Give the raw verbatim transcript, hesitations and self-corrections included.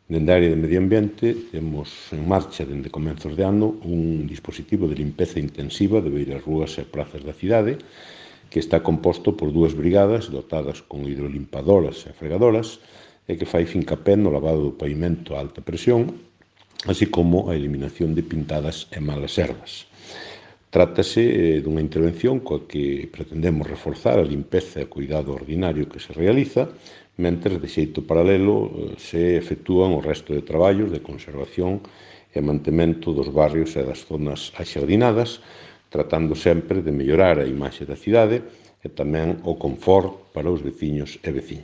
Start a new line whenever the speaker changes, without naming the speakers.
Dende a área de medio ambiente temos en marcha dende comenzos de ano un dispositivo de limpeza intensiva de beiras rúas e prazas da cidade que está composto por dúas brigadas dotadas con hidrolimpadoras e fregadoras e que fai fincapé no lavado do pavimento a alta presión, así como a eliminación de pintadas e malas ervas. Trátase dunha intervención coa que pretendemos reforzar a limpeza e o cuidado ordinario que se realiza, mentres de xeito paralelo se efectúan o resto de traballos de conservación e mantemento dos barrios e das zonas axardinadas, tratando sempre de mellorar a imaxe da cidade e tamén o confort para os veciños e veciñas.